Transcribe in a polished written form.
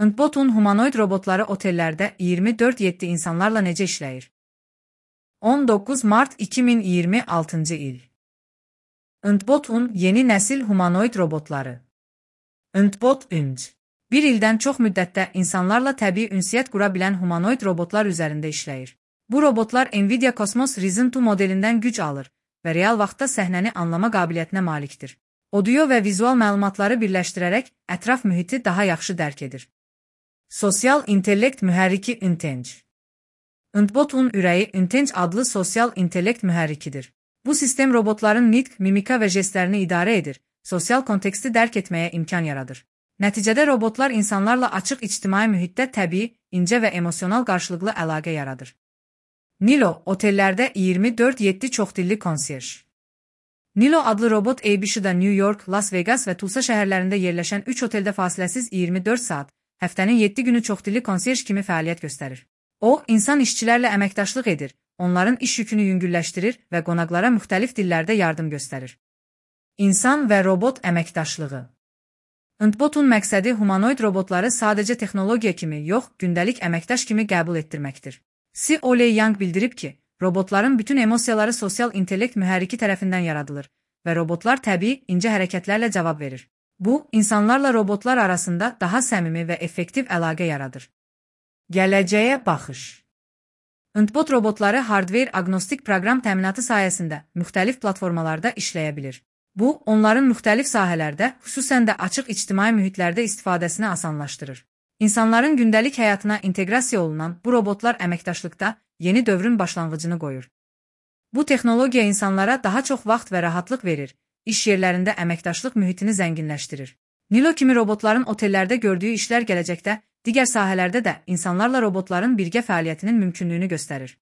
Ndbotun humanoid robotları otellərdə 24/7 insanlarla necə işləyir? 19 mart 2026 il. Ndbotun yeni nəsil humanoid robotları. Ndbot Ünc. Bir ildən çox müddətdə insanlarla təbii ünsiyyət qura bilən humanoid robotlar üzərində işləyir. Bu robotlar Nvidia Cosmos Ryzen 2 modelindən güc alır və real vaxtda səhnəni anlama qabiliyyətinə malikdir. Audio və vizual məlumatları birləşdirərək ətraf mühiti daha yaxşı dərk edir. Sosial intellekt mühərriki Intenc. Ndbotun ürəyi Intenc adlı sosial intellekt mühərrikidir. Bu sistem robotların nitq, mimika və jestlərini idarə edir, sosial konteksti dərk etməyə imkan yaradır. Nəticədə robotlar insanlarla açıq ictimai mühitdə təbii, incə və emosional qarşılıqlı əlaqə yaradır. Nilo, otellərdə 24/7 çoxdilli konserj. Nilo adlı robot ABC-da New York, Las Vegas və Tulsa şəhərlərində yerləşən 3 oteldə fasiləsiz 24 saat, həftənin 7 günü çoxdilli konserj kimi fəaliyyət göstərir. O, insan işçilərlə əməkdaşlıq edir, onların iş yükünü yüngülləşdirir və qonaqlara müxtəlif dillərdə yardım göstərir. İnsan və robot əməkdaşlığı. Ndbotun məqsədi humanoid robotları sadəcə texnologiya kimi yox, gündəlik əməkdaş kimi qəbul etdirməkdir. C.O. Young bildirib ki, robotların bütün emosiyaları sosial intellekt mühərriki tərəfindən yaradılır və robotlar təbii, incə hərəkətlərlə cavab verir. Bu, insanlarla robotlar arasında daha səmimi və effektiv əlaqə yaradır. Gələcəyə baxış. Ndbot robotları hardware agnostik proqram təminatı sayəsində müxtəlif platformalarda işləyə bilir. Bu, onların müxtəlif sahələrdə, xüsusən də açıq ictimai mühitlərdə istifadəsini asanlaşdırır. İnsanların gündəlik həyatına inteqrasiya olunan bu robotlar əməkdaşlıqda yeni dövrün başlanğıcını qoyur. Bu texnologiya insanlara daha çox vaxt və rahatlıq verir, iş yerlərində əməkdaşlıq mühitini zənginləşdirir. Nilo kimi robotların otellərdə gördüyü işlər gələcəkdə, digər sahələrdə də insanlarla robotların birgə fəaliyyətinin mümkünlüyünü göstərir.